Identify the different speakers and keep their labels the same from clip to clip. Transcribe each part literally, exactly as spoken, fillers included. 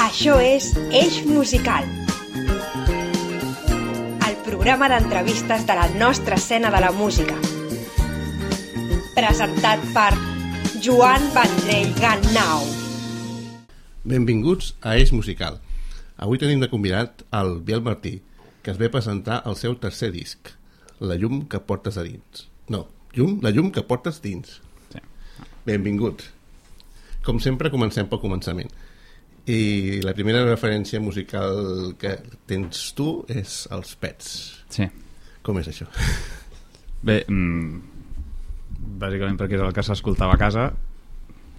Speaker 1: Això és Eix Musical, el programa d'entrevistes de la nostra escena de la música. Presentat per Joan Vendrell Gannau.
Speaker 2: Benvinguts a Eix Musical. Avui tenim de convidat el Biel Martí, que es ve presentar el seu tercer disc, La llum que portes a dins. No, llum, la llum que portes dins.
Speaker 3: Sí.
Speaker 2: Benvinguts. Com sempre, comencem pel començament. I la primera referència musical que tens tu és els Pets.
Speaker 3: Sí.
Speaker 2: Com és això?
Speaker 3: Bé, mmm, bàsicament perquè és el que s'escoltava a casa.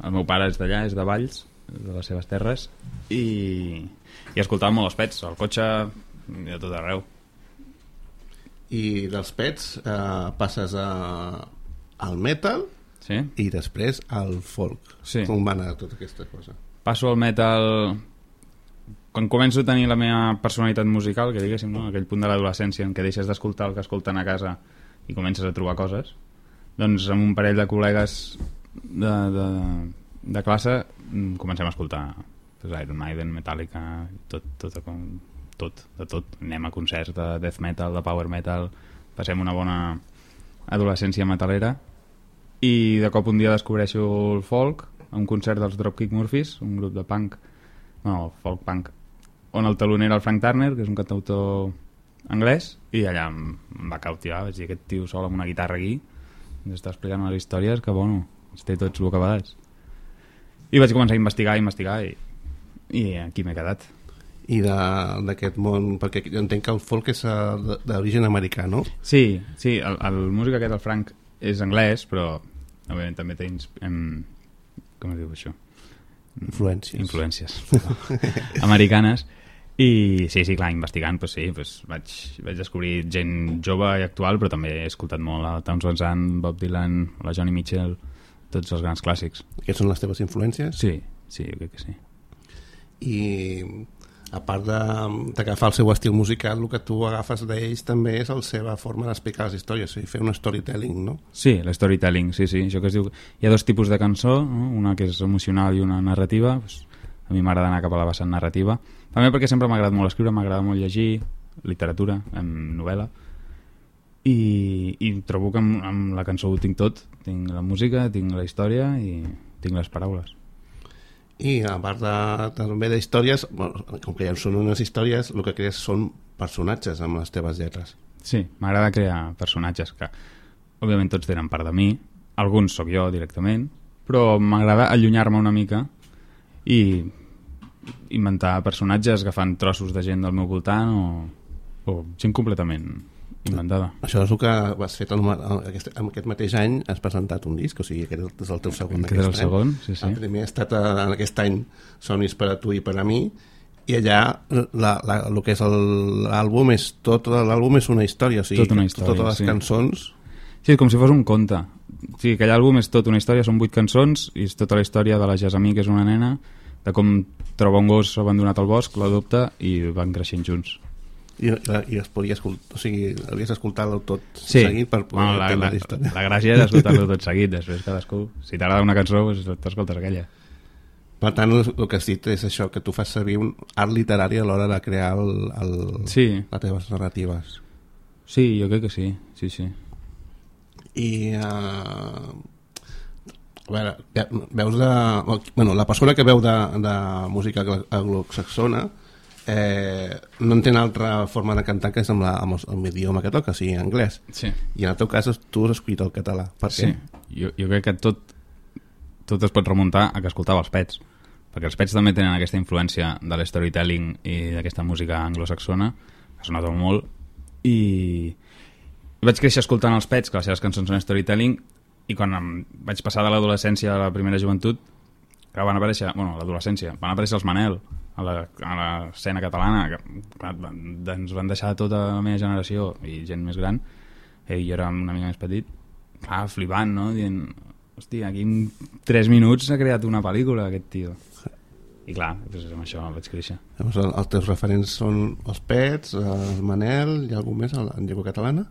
Speaker 3: El meu pare és d'allà, és de Valls, de les seves terres, i, i escoltava molt els Pets, al cotxe i a tot arreu.
Speaker 2: I dels Pets eh, passes a, al metal,
Speaker 3: sí?
Speaker 2: I després al folk.
Speaker 3: Sí.
Speaker 2: Com va anar tota aquesta cosa?
Speaker 3: Passo al metal quan començo a tenir la meva personalitat musical, que diguéssim, no? Aquell punt de l'adolescència en què deixes d'escoltar el que escolten a casa i comences a trobar coses. Doncs amb un parell de col·legues de, de, de classe comencem a escoltar pues, Iron Maiden, Metallica, tot, tot, tot, de tot. Anem a concerts de death metal, de power metal, passem una bona adolescència metalera i de cop un dia descobreixo el folk a un concert dels Dropkick Murphys, un grup de punk, no, folk punk, on el teloner era el Frank Turner, que és un cantautor anglès, i allà em, em va cautivar, vaig dir, aquest tio sol amb una guitarra aquí ens està explicant unes històries que, bueno, ens té tots bocabadats. I vaig començar a investigar, a investigar, i, i aquí m'he quedat.
Speaker 2: I d'aquest món, perquè jo entenc que el folk és d'origen americà, no?
Speaker 3: Sí, sí, el, el músic aquest, el Frank, és anglès, però òbviament també té em, com es diu això?
Speaker 2: Influències.
Speaker 3: Influències americanes. I sí, sí, clar, investigant, pues sí, pues vaig, vaig descobrir gent jove i actual, però també he escoltat molt a Townes Van Zandt, Bob Dylan, la Joni Mitchell, tots els grans clàssics.
Speaker 2: Aquests són les teves influències?
Speaker 3: Sí, sí, jo crec que sí.
Speaker 2: I a part d'agafar el seu estil musical, el que tu agafes d'ells també és la seva forma d'explicar les històries, i fer un storytelling, no?
Speaker 3: Sí, el storytelling, sí, sí. Això que es diu... Hi ha dos tipus de cançó, no? Una que és emocional i una narrativa. Pues, a mi m'agrada anar cap a la vessant narrativa. També perquè sempre m'ha agradat molt escriure, m'agrada molt llegir, literatura, en novel·la, i, i trobo que amb, amb la cançó ho tinc tot. Tinc la música, tinc la història i tinc les paraules.
Speaker 2: I a part de, també d'històries, bueno, com que ja són unes històries, el que crees són personatges amb les teves lletres.
Speaker 3: Sí, m'agrada crear personatges que òbviament tots tenen part de mi, alguns sóc jo directament, però m'agrada allunyar-me una mica i inventar personatges agafant trossos de gent del meu voltant o, o gent completament inventada.
Speaker 2: Això és el que has fet el, aquest, en aquest mateix any has presentat un disc, o sigui, aquest és el teu segon
Speaker 3: aquest és el segon, sí, sí.
Speaker 2: El primer ha estat en aquest any Somnis per a tu i per a mi, i allà la, la, el que és l'àlbum és tot l'àlbum és una història, o sigui,
Speaker 3: tot una història,
Speaker 2: totes les
Speaker 3: sí.
Speaker 2: cançons.
Speaker 3: Sí, com si fos un conte. Sí, aquell àlbum és tot una història, són vuit cançons i és tota la història de la Jasmine, que és una nena, de com troba un gos abandonat al bosc, l'adopta i van creixent junts.
Speaker 2: I, i es podria escoltar, o sigui, hauries d'escoltar-lo tot
Speaker 3: sí.
Speaker 2: seguit per poder
Speaker 3: bueno, la,
Speaker 2: entendre
Speaker 3: la,
Speaker 2: la història.
Speaker 3: La gràcia és escoltar-lo tot seguit, després cadascú, si t'agrada una cançó, pues, t'escoltes aquella.
Speaker 2: Per tant, el, el que has dit és això, que tu fas servir un art literari a l'hora de crear el, el,
Speaker 3: sí.
Speaker 2: les teves narratives.
Speaker 3: Sí, jo crec que sí, sí, sí.
Speaker 2: I uh, a veure, veus de... Bueno, la persona que veu de, de música anglosaxona eh, no entén altra forma de cantar que és amb, la, amb, el, amb l'idioma que toca, o sigui, anglès.
Speaker 3: Sí.
Speaker 2: I en el teu cas tu has escollit el català. Per què?
Speaker 3: Sí, jo, jo crec que tot, tot es pot remuntar a que escoltava els Pets, perquè els Pets també tenen aquesta influència de l'storytelling i d'aquesta música anglosaxona, que sona tot molt, i vaig créixer escoltant els Pets, que les seves cançons són storytelling, i quan em vaig passar de l'adolescència a la primera joventut, que van aparèixer, bueno, l'adolescència, van aparèixer els Manel a l'escena catalana, que clar, ens van deixar tota la meva generació i gent més gran, i jo era una mica més petit, clar, flipant, no? Dient, hòstia, aquí en tres minuts s'ha creat una pel·lícula, aquest tio. I clar, doncs amb això vaig créixer.
Speaker 2: Llavors, els teus referents són els Pets, el Manel, hi ha algú més en llengua catalana?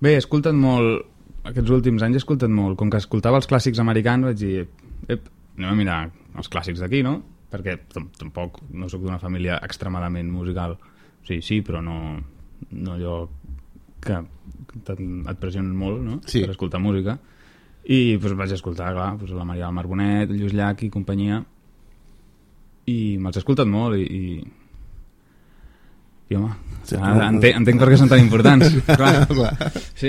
Speaker 3: Bé, he escoltat molt, aquests últims anys he escoltat molt, com que escoltava els clàssics americans vaig dir, ep, anem a mirar els clàssics d'aquí, no? perquè tampoc no sóc d'una família extremadament musical, sí, sí, però no, no allò que et pressionen molt, no?
Speaker 2: Sí.
Speaker 3: Per escoltar música, i doncs, vaig escoltar, clar, doncs, la Maria del Marbonet, el Lluís Llach i companyia, i me'ls he escoltat molt, i, i i home, sí, ara, entenc, entenc per què són tan importants. Clar.
Speaker 2: Clar.
Speaker 3: Sí.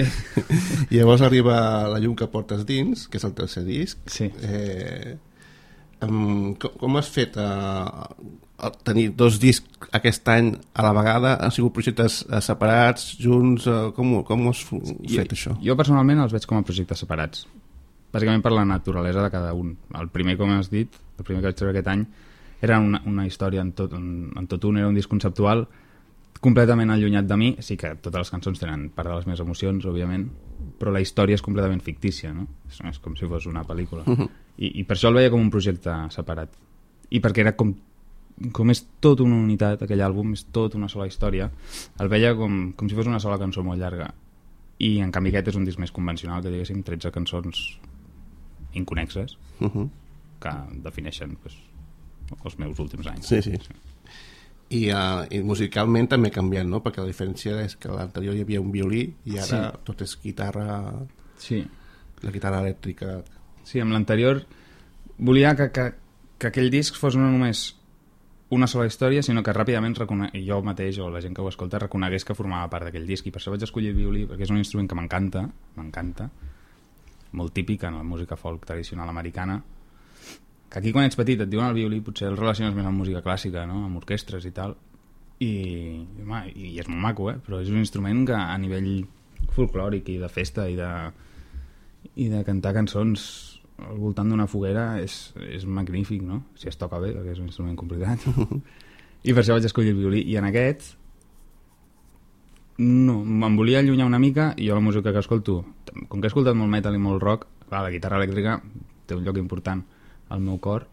Speaker 2: I llavors arriba La llum que portes dins, que és el tercer disc.
Speaker 3: Sí.
Speaker 2: Eh, um, com, com has fet a, a tenir dos discs aquest any a la vegada? Han sigut projectes uh, separats, junts? Uh, com, com has f-
Speaker 3: jo,
Speaker 2: fet això?
Speaker 3: Jo personalment els veig com a projectes separats, bàsicament per la naturalesa de cada un. El primer, com has dit, el primer que vaig treure aquest any era una, una història en tot, en, en tot un, era un disc conceptual completament allunyat de mi. Sí que totes les cançons tenen part de les meves emocions, òbviament, però la història és completament fictícia, no? És, és com si fos una pel·lícula. Uh-huh. I, I per això el veia com un projecte separat. I perquè era com, com és tot una unitat, aquell àlbum, és tot una sola història, el veia com, com si fos una sola cançó molt llarga. I en canvi aquest és un disc més convencional, que diguéssim tretze cançons inconexes, uh-huh, que defineixen pues, els meus últims anys.
Speaker 2: Sí, sí. sí. I, uh, i musicalment també ha canviat, no? Perquè la diferència és que a l'anterior hi havia un violí i ara sí, tot és guitarra,
Speaker 3: sí,
Speaker 2: la guitarra elèctrica.
Speaker 3: Sí, amb l'anterior volia que, que, que aquell disc fos no només una sola història, sinó que ràpidament recone... jo mateix o la gent que ho escolta reconegués que formava part d'aquell disc, i per això vaig escollir el violí, perquè és un instrument que m'encanta, m'encanta, molt típic en la música folk tradicional americana, que aquí quan ets petit et diuen el violí, potser el relaciones més amb música clàssica, no? Amb orquestres i tal, i, home, i és molt maco, eh? Però és un instrument que a nivell folclòric i de festa i de, i de cantar cançons al voltant d'una foguera és, és magnífic, no? Si es toca bé, perquè és un instrument complicat. I per això vaig escollir el violí, i en aquest no, me'n volia allunyar una mica, i jo la música que escolto, com que he escoltat molt metal i molt rock, clar, la guitarra elèctrica té un lloc important al meu cor,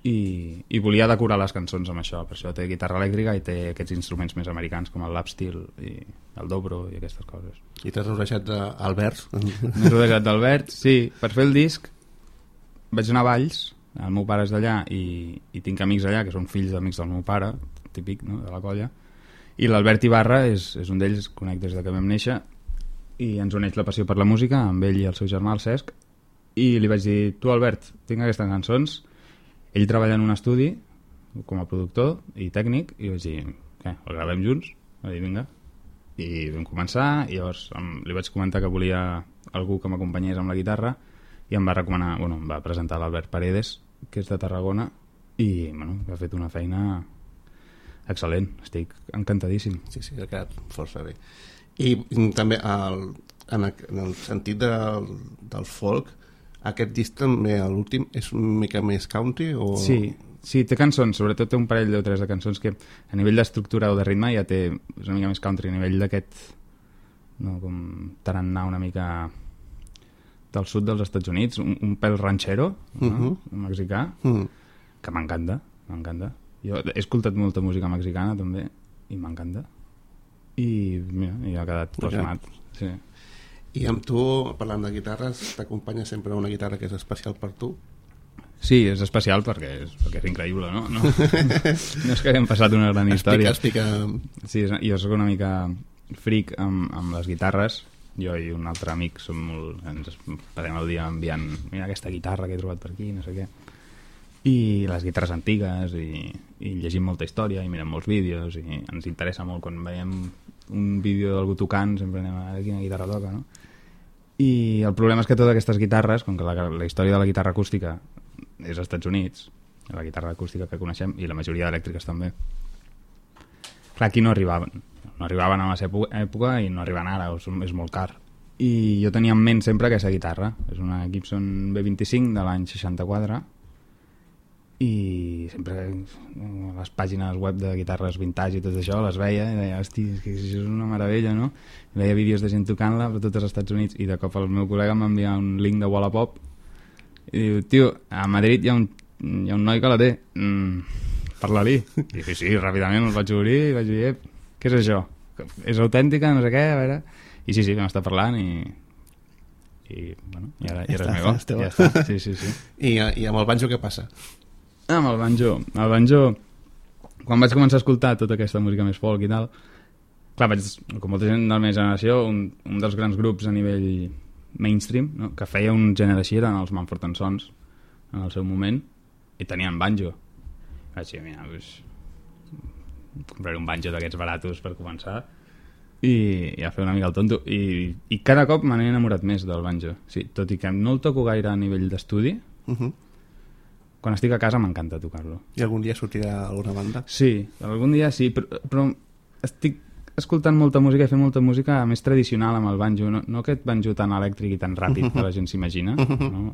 Speaker 3: i, i volia decorar les cançons amb això. Per això té guitarra elèctrica i té aquests instruments més americans com el lap steel i el dobro i aquestes coses.
Speaker 2: I t'has rodejat d'Alberts?
Speaker 3: M'he rodejat d'Albert, sí. Per fer el disc vaig anar a Valls, el meu pare és d'allà, i, i tinc amics allà que són fills d'amics del meu pare, típic, no?, de la colla, i l'Albert Ibarra és, és un d'ells, conec des de que vam néixer, i ens uneix la passió per la música amb ell i el seu germà, el Cesc, i li vaig dir, tu Albert, tinc aquestes cançons, ell treballa en un estudi com a productor i tècnic, i vaig dir, què, el gravem junts? Va dir, vinga. I vam començar, i llavors li vaig comentar que volia algú que m'acompanyés amb la guitarra, i em va recomanar, bueno, em va presentar l'Albert Paredes, que és de Tarragona, i bueno, ha fet una feina excel·lent, estic encantadíssim.
Speaker 2: Sí, sí, ha quedat força bé. I també el, en, el, en el sentit del, del folk, aquest disc també, l'últim, és una mica més country? O...
Speaker 3: Sí, sí, té cançons, sobretot té un parell o tres de cançons que a nivell d'estructura o de ritme ja té, és una mica més country, a nivell d'aquest, no, com tarannà una mica del sud dels Estats Units, un, un pèl ranchero, no? Uh-huh. Un mexicà, uh-huh, que m'encanta, m'encanta. Jo he escoltat molta música mexicana també, i m'encanta. I mira, i ha quedat plasmat. Sí.
Speaker 2: I amb tu, parlant de guitarres, t'acompanya sempre una guitarra que és especial per tu?
Speaker 3: Sí, és especial perquè és, perquè és increïble, no? No, no és que haguem passat una gran història.
Speaker 2: Explica, explica...
Speaker 3: Sí, jo soc una mica fric amb, amb les guitarres. Jo i un altre amic som molt... ens passem el dia enviant, mira aquesta guitarra que he trobat per aquí, no sé què. I les guitarres antigues, i, i llegim molta història, i mirem molts vídeos, i ens interessa molt quan veiem un vídeo d'algú tocant, sempre anem a veure quina guitarra toca, no? I el problema és que totes aquestes guitarres, com que la, la història de la guitarra acústica és als Estats Units, la guitarra acústica que coneixem, i la majoria d'elèctriques també, clar, aquí no arribaven no arribaven a la seva època i no arriben ara, és molt car, i jo tenia en ment sempre aquesta guitarra, és una Gibson B vint-i-cinc de l'any seixanta-quatre, i sempre a les pàgines web de guitarres vintage i tot això les veia i deia, hosti, és que això és una meravella, no? I veia vídeos de gent tocant-la per tots els Estats Units, i de cop el meu col·lega m'envia un link de Wallapop i diu, tio, a Madrid hi ha un, hi ha un noi que la té, mm, parla-li. I sí, sí, ràpidament el vaig obrir i vaig dir, què és això? És autèntica, no sé què, a veure... I sí, sí, vam estar parlant i... i, bueno, i ara, i ara és meva. Ja està, sí, sí, sí.
Speaker 2: I, I amb el banjo què passa?
Speaker 3: Ah, amb el banjo. El banjo, quan vaig començar a escoltar tota aquesta música més folk i tal, clar, vaig, com molta gent de la meva generació, un, un dels grans grups a nivell mainstream, no? Que feia un gènere així, eren els Mumford and Sons, en el seu moment, i tenien banjo. Vaig dir, mira, doncs, compraré un banjo d'aquests baratos per començar, i, i a fer una mica el tonto. I, i cada cop me n'he enamorat més del banjo. Sí, tot i que no el toco gaire a nivell d'estudi, uh-huh. Quan estic a casa m'encanta tocar-lo.
Speaker 2: I algun dia sortirà alguna banda?
Speaker 3: Sí, algun dia sí, però, però estic escoltant molta música i fent molta música més tradicional amb el banjo, no, no aquest banjo tan elèctric i tan ràpid que la gent s'imagina, no?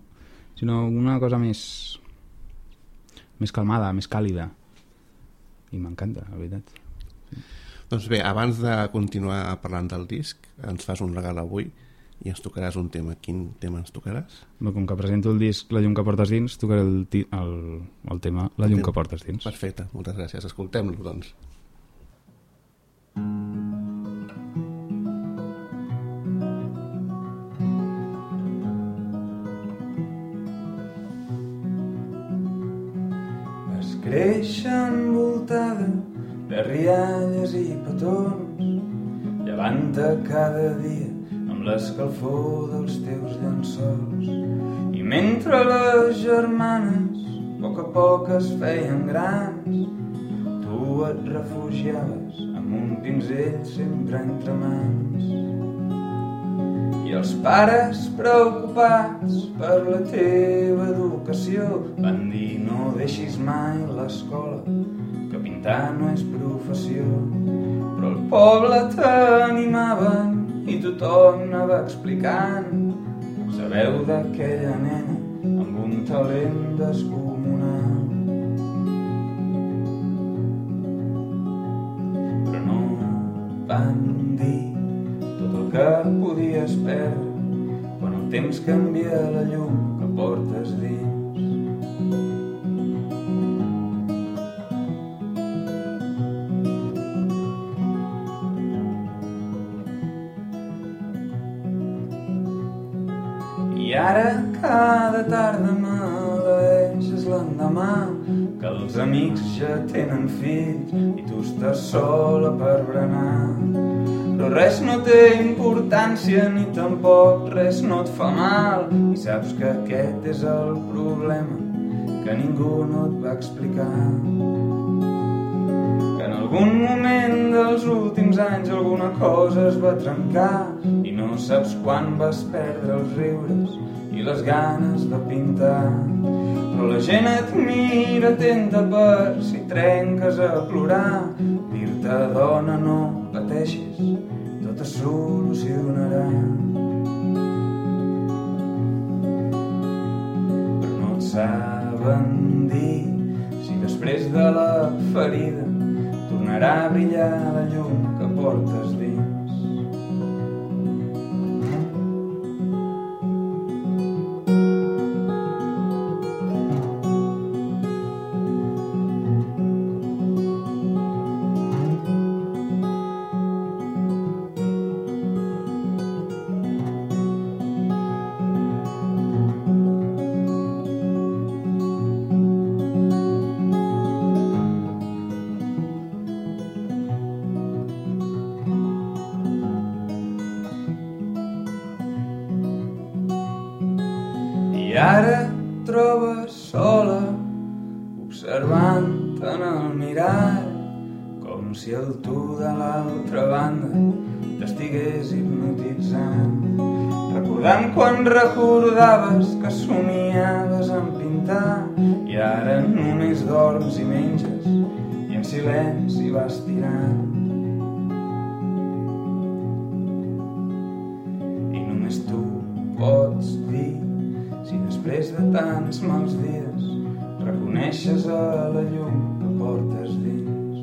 Speaker 3: Sinó una cosa més més calmada, més càlida, i m'encanta, la veritat.
Speaker 2: Doncs bé, abans de continuar parlant del disc, ens fas un regal avui i ens tocaràs un tema. Quin tema ens tocaràs?
Speaker 3: Bé, com que presento el disc La llum que portes dins, tocaré el, ti el, el tema La llum que portes dins.
Speaker 2: Perfecte, moltes gràcies. Escoltem-lo, doncs.
Speaker 4: Vas créixer envoltada de rialles i petons, llevant-te cada dia amb l'escalfor dels teus llençols. I mentre les germanes a poc a poc es feien grans, tu et refugiaves amb un pinzell sempre entre mans. I els pares preocupats per la teva educació van dir no deixis mai l'escola, que pintar no és professió. Però el poble t'animaven i tothom anava explicant. Sabeu d'aquella nena amb un talent descomunal. Però no van dir tot el que podies perdre quan el temps canvia la llum que portes dins. I ara cada tarda m'aleeixes l'endemà, que els amics ja tenen fills i tu estàs sola per berenar. Però res no té importància ni tampoc res no et fa mal, i saps que aquest és el problema que ningú no et va explicar. Que en algun moment dels últims anys alguna cosa es va trencar i no saps quan vas perdre els riures i les ganes de pintar. Però la gent et mira atenta per si trenques a plorar. Dir-te dona no pateixis, tot es solucionarà. Però no et saben dir si després de la ferida tornarà a brillar la llum que portes dins. I ara et trobes sola, observant en el mirall, com si el tu de l'altra banda t'estigués hipnotitzant. Recordant quan recordaves que somiaves en pintar, i ara només dorms i menges, i en silenci vas tirant. I només tu pots dir si després de tants mals dies reconeixes a la llum que portes dins.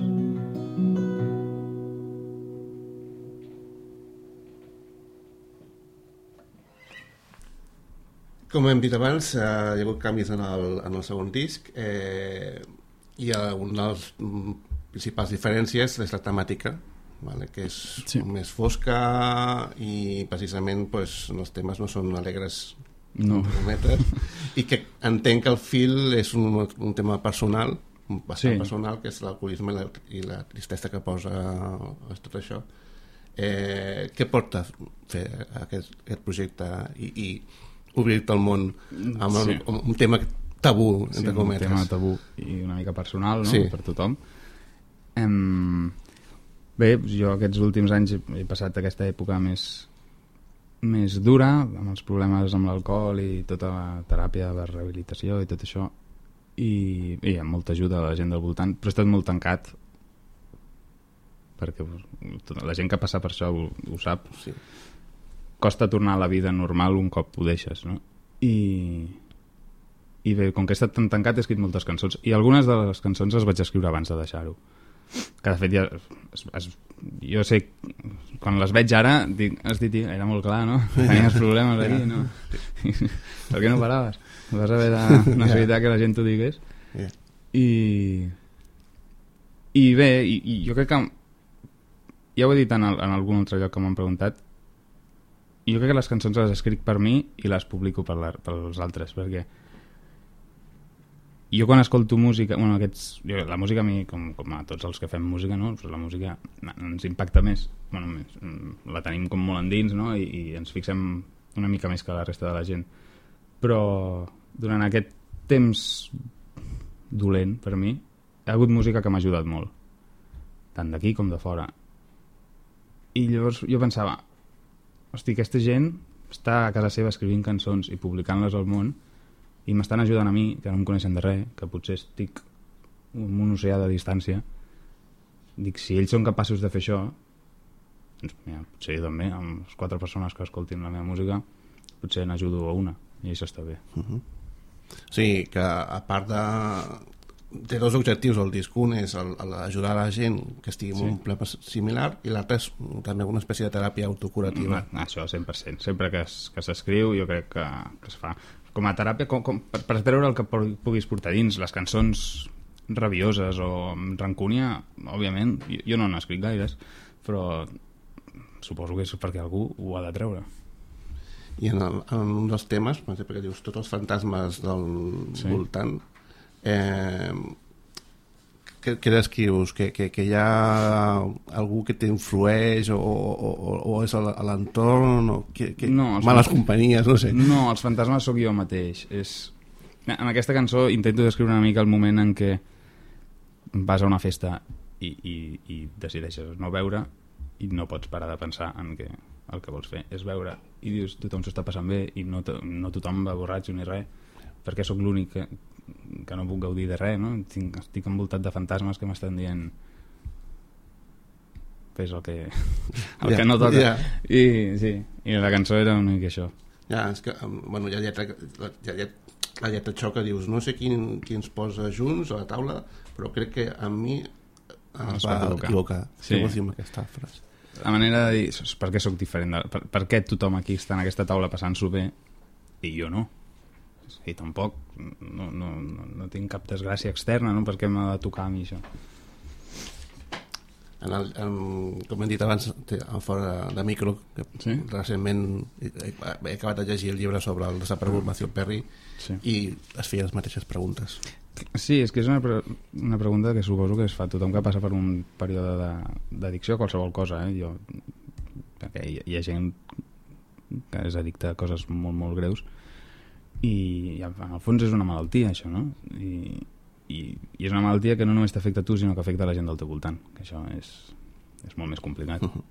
Speaker 2: Com hem dit abans, eh, hi ha hagut canvis en el, en el segon disc, eh, i una de les principals diferències és la temàtica, vale, que és sí. més fosca i precisament pues, els temes no són alegres,
Speaker 3: no.
Speaker 2: I que entenc que el fil és un, un tema personal, bastant
Speaker 3: Sí.
Speaker 2: personal, que és l'alcoholisme i la, i la tristesa que posa a tot això. Eh, què porta fer aquest, aquest projecte i, i obrir-te al món amb
Speaker 3: Sí.
Speaker 2: un, un tema tabú,
Speaker 3: Sí,
Speaker 2: entre
Speaker 3: un
Speaker 2: cometes?
Speaker 3: tema tabú i una mica personal, no?
Speaker 2: Sí.
Speaker 3: Per tothom. Em... Bé, jo aquests últims anys he, he passat aquesta època més més dura, amb els problemes amb l'alcohol i tota la teràpia de rehabilitació i tot això, i, i amb molta ajuda de la gent del voltant, però he estat molt tancat perquè tota la gent que passa per això ho, ho sap.
Speaker 2: Sí.
Speaker 3: Costa tornar a la vida normal un cop ho deixes, no? I, i bé, com que he estat tan tancat he escrit moltes cançons i algunes de les cançons les vaig escriure abans de deixar-ho, que de fet ja es, es, jo sé, quan les veig ara dic, hosti tio, era molt clar, no? Tenies problemes allí, no? Per què no paraves? Vas haver de necessitar que la gent t'ho digués.
Speaker 2: Yeah.
Speaker 3: I i bé, i, i jo crec que ja ho he dit en, el, en algun altre lloc que m'han preguntat, jo crec que les cançons les escric per mi i les publico per, la, per als altres, perquè jo quan escolto música, bueno, aquests, jo, la música a mi, com, com a tots els que fem música, no? Pues la música ens impacta més, bueno, més, la tenim com molt endins, no? I, i ens fixem una mica més que la resta de la gent, però durant aquest temps dolent per mi hi ha hagut música que m'ha ajudat molt, tant d'aquí com de fora, i llavors jo pensava, hosti, aquesta gent està a casa seva escrivint cançons i publicant-les al món i m'estan ajudant a mi, que no em coneixen de res, que potser estic en un oceà de distància. Dic, si ells són capaços de fer això, doncs mira, potser jo també, amb les quatre persones que escoltin la meva música, potser n'ajudo a una, i això està bé.
Speaker 2: Uh-huh. Sí, que a part de... té dos objectius el disc. Un és el, el ajudar a la gent que estigui en
Speaker 3: Sí.
Speaker 2: un problema similar, i l'altre és també una espècie de teràpia autocurativa.
Speaker 3: Mm, això cent per cent. Sempre que es, que s'escriu jo crec que, que es fa com a teràpia, com, com, per, per treure el que puguis portar dins. Les cançons rabioses o amb rancúnia, òbviament, jo, jo no n'he escrit gaires, però suposo que és perquè algú ho ha de treure.
Speaker 2: I en, el, en un dels temes, per exemple, que dius tots els fantasmes del
Speaker 3: Sí.
Speaker 2: voltant, eh, què, què descrius? Que, que, que hi ha algú que t'influeix o, o, o, o és a l'entorn o que, que
Speaker 3: No, els
Speaker 2: males
Speaker 3: fan-
Speaker 2: companyies, no sé.
Speaker 3: No, els fantasmes sóc jo mateix. És... En aquesta cançó intento descriure una mica el moment en què vas a una festa i, i, i decideixes no beure i no pots parar de pensar en que el que vols fer és beure i dius tothom s'ho està passant bé i no, to no tothom va borratxo ni res, perquè sóc l'únic que, que no puc gaudir de res, no? Tinc, estic envoltat de fantasmes que m'estan dient fes el que, el
Speaker 2: Ja,
Speaker 3: que no toca.
Speaker 2: ja.
Speaker 3: I, sí, i la cançó era una mica això.
Speaker 2: Ja, és que, em, bueno, hi ha lletra, la, hi ha lletra, la lletra xoca, dius, no sé quin, qui ens posa junts a la taula, però crec que a mi es va equivocar.
Speaker 3: Sí.
Speaker 2: Què vols dir amb aquesta frase?
Speaker 3: La manera de dir, per què sóc diferent? De, per, per què tothom aquí està en aquesta taula passant-s'ho bé i jo no? I tampoc, no, no, no, no tinc cap desgràcia externa, no? Per què m'ha de tocar a mi això?
Speaker 2: En el, en, com hem dit abans, té- en fora de, de micro, que
Speaker 3: Sí?
Speaker 2: recentment he, he acabat de llegir el llibre sobre el desaparegut Matthew Perry
Speaker 3: Sí.
Speaker 2: i es feia les mateixes preguntes.
Speaker 3: Sí, és que és una, pre una pregunta que suposo que es fa tothom que passa per un període d'addicció a qualsevol cosa, eh? Jo, perquè hi, hi ha gent que és addicta a coses molt, molt greus i en el fons és una malaltia això, no? I, i, i és una malaltia que no només t'afecta a tu sinó que afecta a la gent del teu voltant, que això és, és molt més complicat.
Speaker 2: Uh -huh.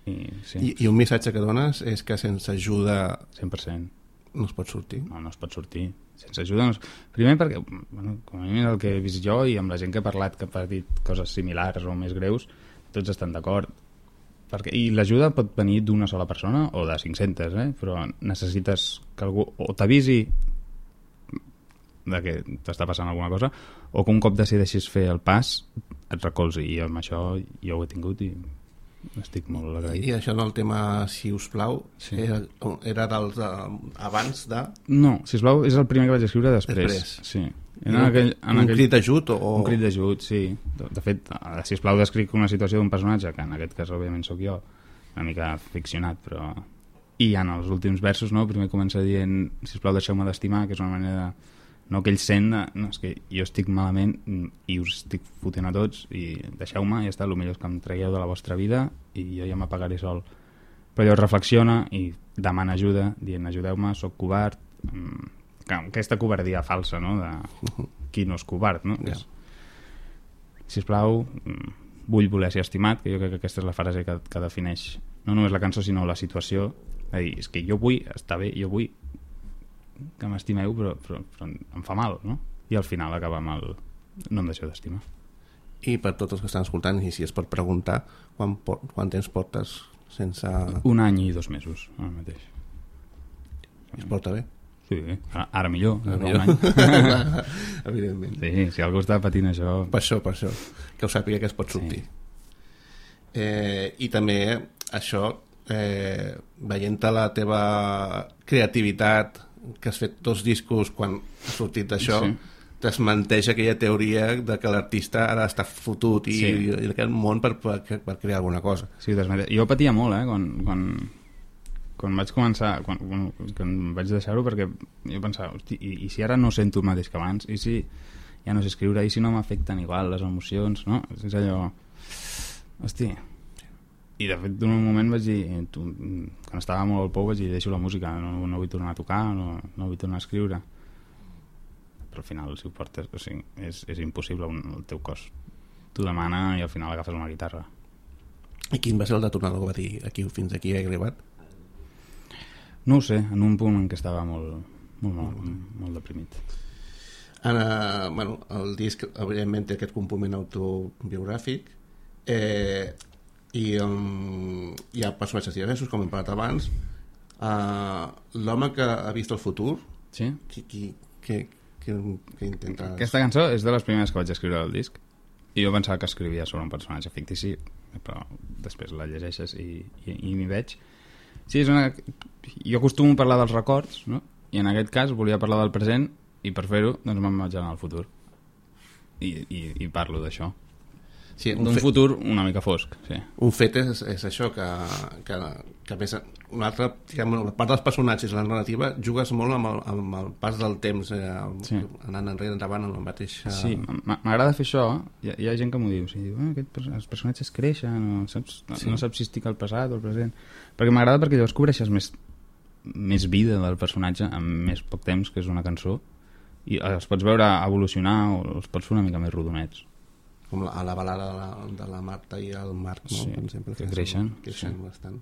Speaker 3: I, sí,
Speaker 2: I, I un missatge que dones és que sense ajuda
Speaker 3: cent per cent.
Speaker 2: no es pot sortir.
Speaker 3: No, no es pot sortir. Sense ajuda no es... Primer perquè, bueno, com a mínim el que he vist jo i amb la gent que he parlat que ha patit coses similars o més greus, tots estan d'acord. Perquè... I l'ajuda pot venir d'una sola persona o de cinc-centes, eh? Però necessites que algú o t'avisi de que t'està passant alguna cosa o que un cop decideixis fer el pas et recolzi, i amb això jo ho he tingut i estic molt agraït.
Speaker 2: I això del tema Si us plau,
Speaker 3: Sí.
Speaker 2: era, era dels de, abans de...
Speaker 3: No, sisplau, és el primer que vaig escriure després.
Speaker 2: Després.
Speaker 3: Sí.
Speaker 2: Un,
Speaker 3: En aquell, en
Speaker 2: un
Speaker 3: aquell...
Speaker 2: crit d'ajut o...
Speaker 3: Un crit d'ajut, sí. De, de fet, a sisplau descric una situació d'un personatge, que en aquest cas òbviament sóc jo, una mica ficcionat, però i en els últims versos, no? Primer comença dient, sisplau, deixeu-me d'estimar, que és una manera de... No, que ell sent, de, no, és que jo estic malament i us estic fotent a tots i deixeu-me, ja està, el millor és que em tragueu de la vostra vida i jo ja m'apagaré sol. Però ell reflexiona i demana ajuda, dient, ajudeu-me, sóc covard. Aquesta covardia falsa, no? De qui no és covard, no? Yeah. Sisplau, vull voler ser estimat, que jo crec que aquesta és la frase que, que defineix no només la cançó, sinó la situació. És dir, és que jo vull estar bé, jo vull que m'estimeu, però, però, però em fa mal, no? I al final acaba amb el no em deixeu d'estimar.
Speaker 2: I per tots els que estan escoltant, i si es pot preguntar, quan, quan temps portes sense...
Speaker 3: Un any i dos mesos, ara mateix.
Speaker 2: Es porta bé?
Speaker 3: Sí, ara, ara millor, ara
Speaker 2: millor.
Speaker 3: Un any.
Speaker 2: Evidentment.
Speaker 3: Sí, si algú està patint això...
Speaker 2: Per això, per això, que ho sàpiga que es pot sortir. Sí. Eh, I també això, eh, veient-te la teva creativitat, que has fet dos discos quan has sortit d'això, sí. Desmenteix aquella teoria de que l'artista ara està fotut i, sí. i, i aquest món per, per, per crear alguna cosa.
Speaker 3: Sí, desmenteix. Jo patia molt, eh, quan, quan, quan vaig començar, quan, quan, quan vaig deixar-ho, perquè jo pensava, hosti, i, i si ara no sento el mateix que abans, i si ja no sé escriure, i si no m'afecten igual les emocions, no? És allò... Hosti... I de fet, en un moment vaig dir, tu, quan estava molt al pou, vaig dir, deixo la música, no, no vull tornar a tocar, no, no vull tornar a escriure. Però al final, si ho portes, o sigui, és, és impossible, un, el teu cos t'ho demana i al final agafes una guitarra.
Speaker 2: I quin va ser el detonador que va dir, aquí, fins aquí he arribat?
Speaker 3: No ho sé, en un punt en què estava molt, molt, molt, molt deprimit.
Speaker 2: Ana, bueno, el disc, evidentment, té aquest component autobiogràfic, eh... i um, hi ha personatges diversos, com hem parlat abans. Uh, l'home que ha vist el futur,
Speaker 3: sí?
Speaker 2: qui, qui, qui, qui, qui intenta...
Speaker 3: Aquesta cançó és de les primeres que vaig escriure al disc i jo pensava que escrivia sobre un personatge fictici, però després la llegeixes i, i, i m'hi veig. Sí, és una... Jo acostumo a parlar dels records, no? I en aquest cas volia parlar del present i per fer-ho doncs me'n vaig anar al futur i, i, i parlo d'això. Sí, d'un fet, futur una mica fosc, sí.
Speaker 2: Un fet és, és això, que, que, que més, una altra, diguem, la part dels personatges, la narrativa, jugues molt amb el, amb el pas del temps, eh, sí. Anant enrere, endavant, amb el mateix... Eh...
Speaker 3: Sí, m'agrada fer això, hi ha, hi ha gent que m'ho diu, o sigui, eh, aquest, els personatges creixen, no saps, sí. no saps si estic al passat o al present, perquè m'agrada perquè llavors cobreixes més, més vida del personatge en més poc temps, que és una cançó, i els pots veure evolucionar o els pots fer una mica més rodonets.
Speaker 2: Com a la balada de la, de la Marta i el Marc, no?
Speaker 3: Sí,
Speaker 2: per exemple,
Speaker 3: que, que creixen,
Speaker 2: creixen
Speaker 3: sí.
Speaker 2: bastant.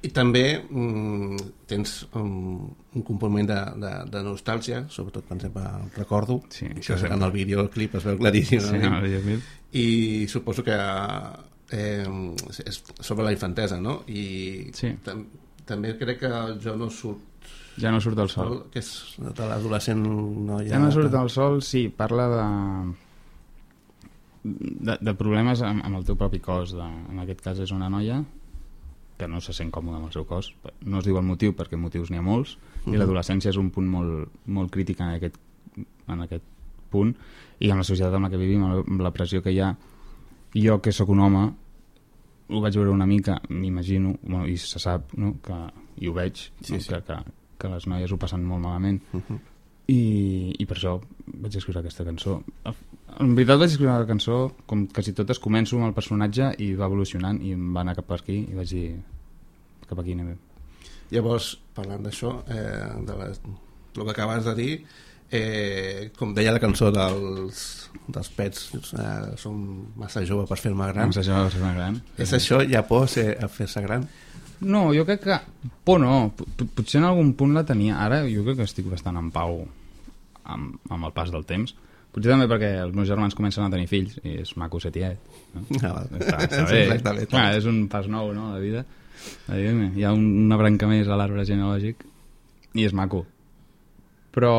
Speaker 2: I també mm, tens um, un component de, de, de nostàlgia, sobretot per exemple Recordo,
Speaker 3: sí,
Speaker 2: que en el videoclip es veu claríssim,
Speaker 3: sí, no, videoclip.
Speaker 2: I suposo que eh, és sobre la infantesa, no? I
Speaker 3: sí.
Speaker 2: tam també crec que Jo no surt
Speaker 3: Ja no surt del sol,
Speaker 2: que és de l'adolescent noia.
Speaker 3: Ja no surt del sol, sí, parla de De, de problemes amb, amb el teu propi cos de, en aquest cas és una noia que no se sent còmoda amb el seu cos, no es diu el motiu perquè motius n'hi ha molts, uh-huh. i l'adolescència és un punt molt, molt crític en aquest, en aquest punt, i amb la societat en la que vivim, amb la pressió que hi ha. Jo que sóc un home ho vaig veure una mica, m'imagino, bueno, i se sap, no? Que, i ho veig,
Speaker 2: sí,
Speaker 3: no?
Speaker 2: sí.
Speaker 3: Que, que, que les noies ho passen molt malament,
Speaker 2: uh-huh.
Speaker 3: I, i per això vaig escriure aquesta cançó. En veritat vaig escriure la cançó, com quasi totes, començo amb el personatge i va evolucionant i em va anar cap per aquí i vaig dir cap aquí anem bé.
Speaker 2: Llavors, parlant d'això, eh, de les, el que acabes de dir, eh, com deia la cançó dels, dels Pets, eh, som massa jove per fer-me gran.
Speaker 3: Massa jove per fer-me gran.
Speaker 2: És això, ja por ser, a fer-se gran?
Speaker 3: No, jo crec que... Por no, potser en algun punt la tenia. Ara jo crec que estic bastant en pau amb, amb el pas del temps. Potser també perquè els meus germans comencen a tenir fills i és maco ser tiet, no?
Speaker 2: Ah,
Speaker 3: està, està bé.
Speaker 2: Exactament.
Speaker 3: Ah, és un pas nou, no?, la vida. Hi ha una branca més a l'arbre genealògic i és maco. Però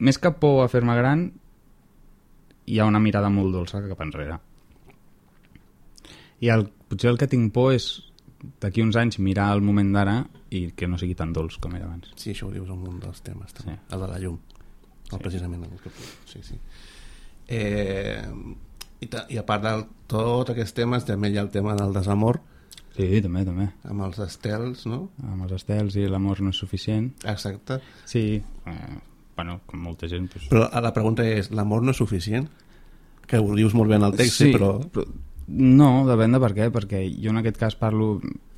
Speaker 3: més que por a fer-me gran hi ha una mirada molt dolça cap enrere. I el, potser el que tinc por és d'aquí uns anys mirar el moment d'ara i que no sigui tan dolç com era abans.
Speaker 2: Sí, això ho dius en un dels temes també. Sí. El de la llum, sí. El precisament el que... sí, sí. Eh, i, ta, i a part de tots aquests temes també hi ha el tema del desamor,
Speaker 3: Sí, també, també.
Speaker 2: Amb els estels, no?
Speaker 3: Amb els estels i l'amor no és suficient.
Speaker 2: Exacte.
Speaker 3: Sí, eh, bueno, com molta gent... Doncs...
Speaker 2: Però la pregunta és, l'amor no és suficient? Que ho dius molt bé en el text,
Speaker 3: sí,
Speaker 2: sí, però...
Speaker 3: però... No, depèn de per què, perquè jo en aquest cas parlo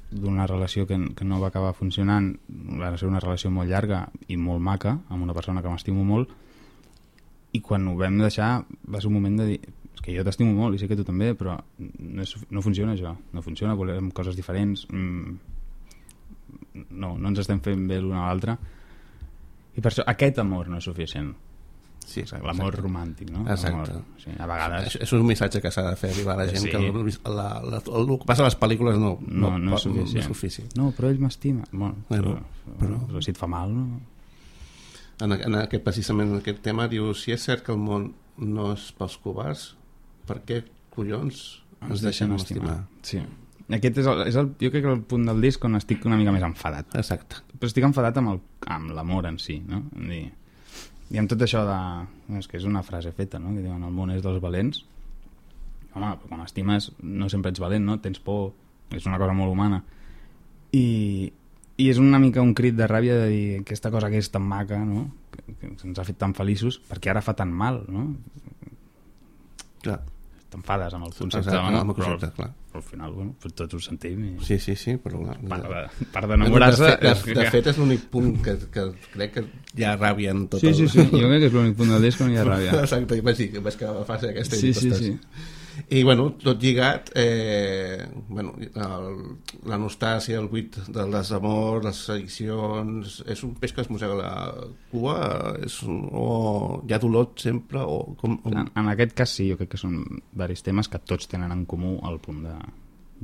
Speaker 3: d'una relació que, que no va acabar funcionant, va ser una relació molt llarga i molt maca, amb una persona que m'estimo molt, i quan ho vam deixar va ser un moment de dir, és que jo t'estimo molt i sé que tu també, però no, és, no funciona això, no funciona, volem coses diferents, mm, no, no ens estem fent bé l'un a l'altre, i per això aquest amor no és suficient.
Speaker 2: Sí,
Speaker 3: l'amor romàntic, no?
Speaker 2: Exacte.
Speaker 3: Sí, a vegades...
Speaker 2: És, és un missatge que s'ha de fer arribar a la gent, sí. Que el, la, la, el, el que passa a les pel·lícules no,
Speaker 3: no, no, no, és, suficient.
Speaker 2: no és suficient.
Speaker 3: No, però ell m'estima. Bueno,
Speaker 2: bueno,
Speaker 3: però,
Speaker 2: però...
Speaker 3: però si et fa mal, no?
Speaker 2: En, en aquest, precisament en aquest tema diu, si és cert que el món no és pels covards, per què collons ens, ens deixen estimar?
Speaker 3: Sí. Aquest és, el, és el, jo crec que el punt del disc on estic una mica més enfadat.
Speaker 2: Exacte.
Speaker 3: Però estic enfadat amb el, amb l'amor en si, no? Dir, i amb tot això de... És que és una frase feta, no? Que diuen, el món és dels valents. Home, però quan estimes no sempre ets valent, no? Tens por, és una cosa molt humana. I, i és una mica un crit de ràbia de dir aquesta cosa que és tan maca, no? Que, que ens ha fet tan feliços, perquè ara fa tan mal, no?
Speaker 2: Clar.
Speaker 3: T'enfades amb el concepte,
Speaker 2: Exacte,
Speaker 3: no?
Speaker 2: amb el concepte,
Speaker 3: però,
Speaker 2: clar.
Speaker 3: Però al final, bueno, tots ho sentim. I...
Speaker 2: Sí, sí, sí, però... Clar,
Speaker 3: part, de, part d'enamorar-se...
Speaker 2: De, de, de, de fet, és l'únic punt que, que crec que hi ha ràbia en tot
Speaker 3: sí,
Speaker 2: el...
Speaker 3: Sí, sí, jo crec que és l'únic punt del disc on hi ha ràbia.
Speaker 2: Exacte, vaig dir, vaig que va ser aquesta
Speaker 3: sí, sí, sí.
Speaker 2: I, bueno, tot lligat, eh, bueno, el, la nostàlgia, el buit del desamor, les addiccions, és un peix que es mossega la cua, és, o hi ha dolor sempre, o... Com, o...
Speaker 3: En, en aquest cas sí, jo crec que són diversos temes que tots tenen en comú el punt de,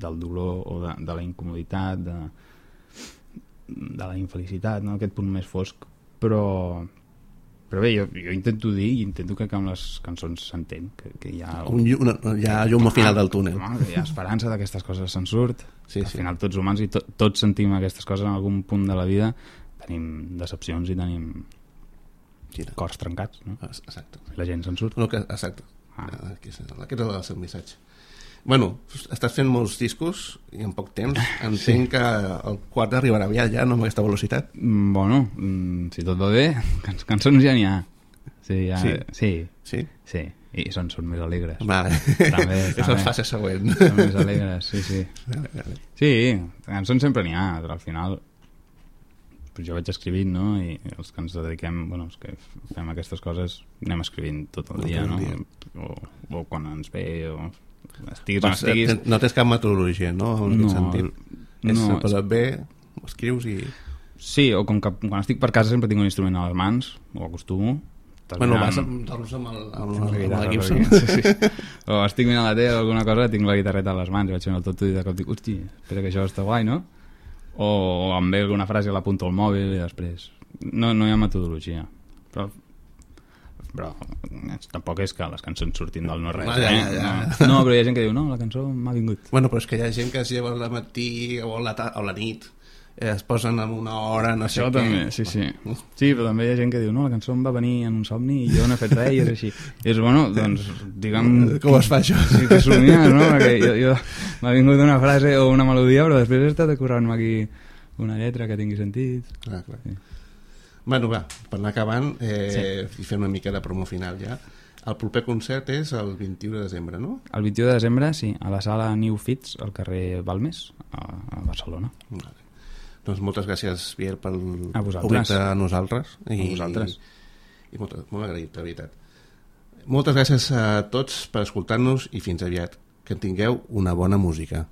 Speaker 3: del dolor o de, de la incomoditat, de, de la infelicitat, no? Aquest punt més fosc, però... Però bé, jo, jo intento dir i intento que amb les cançons s'entén que, que hi ha...
Speaker 2: Un, una, hi ha llum al final del túnel.
Speaker 3: Home, que hi ha esperança d'aquestes coses se'n surt.
Speaker 2: Sí,
Speaker 3: al
Speaker 2: sí.
Speaker 3: final tots humans i to, tots sentim aquestes coses en algun punt de la vida. Tenim decepcions i tenim
Speaker 2: Quina?
Speaker 3: Cors trencats, no?
Speaker 2: Exacte.
Speaker 3: La gent se'n surt.
Speaker 2: No, que, exacte.
Speaker 3: Ah.
Speaker 2: Aquest és el seu missatge. Bueno, estàs fent molts discos i en poc temps. Entenc sí. Que el quart arribarà aviat ja, no amb aquesta velocitat.
Speaker 3: Bueno, si tot va bé, can cançons ja n'hi ha. Sí, ja...
Speaker 2: sí.
Speaker 3: Sí.
Speaker 2: Sí?
Speaker 3: Sí, i són, són més alegres.
Speaker 2: Vale.
Speaker 3: També,
Speaker 2: és la fase següent.
Speaker 3: Són més alegres, sí, sí.
Speaker 2: Vale, vale.
Speaker 3: Sí, cançons sempre n'hi ha, però al final jo vaig escrivint, no? I els que ens dediquem, bueno, els que fem aquestes coses anem escrivint tot el dia, no? O, o quan ens ve, o... Estiguis, no, estiguis...
Speaker 2: no tens cap metodologia, no? En
Speaker 3: no,
Speaker 2: aquest sentit. És
Speaker 3: no,
Speaker 2: per bé, ho escrius i...
Speaker 3: Sí, o com que quan estic per casa sempre tinc un instrument a les mans, ho acostumo.
Speaker 2: Bueno, vas amb, amb, el, amb, amb, amb la Gibson.
Speaker 3: Sí, sí. O estic mirant la tele o alguna cosa, tinc la guitarreta a les mans i vaig fent el tot i de cop dic, hosti, espera que això està guai, no? O em ve alguna frase i l'apunto al mòbil i després... No, no hi ha metodologia. Però... però tampoc és que les cançons surtin del no res,
Speaker 2: ja, ja, ja.
Speaker 3: Eh? No, però hi ha gent que diu, no, la cançó m'ha vingut.
Speaker 2: Bueno, però és que hi ha gent que es lleva al matí o a la, o a la nit, eh, es posen en una hora, no
Speaker 3: Això
Speaker 2: sé
Speaker 3: també,
Speaker 2: què.
Speaker 3: sí, sí. Sí, però també hi ha gent que diu, no, la cançó em va venir en un somni i jo no he fet res i és així. I és, bueno, doncs, diguem...
Speaker 2: Com es fa això?
Speaker 3: Sí, que somiar, no? Perquè jo, jo m'ha vingut una frase o una melodia, però després he estat currant-me aquí una lletra que tingui sentit.
Speaker 2: Clar, clar.
Speaker 3: Sí.
Speaker 2: Bueno, va, per anar acabant eh,
Speaker 3: sí.
Speaker 2: i fer una mica de promo final ja. El proper concert és el vint-i-u de desembre, no?
Speaker 3: El vint-i-u de desembre, sí, a la sala New Fits, al carrer Balmes, a, a Barcelona.
Speaker 2: Vale. Doncs moltes gràcies, Biel, pel
Speaker 3: obrir
Speaker 2: a nosaltres. I,
Speaker 3: a vosaltres.
Speaker 2: I, i molt, molt agraït, de veritat. Moltes gràcies a tots per escoltar-nos i fins aviat. Que tingueu una bona música.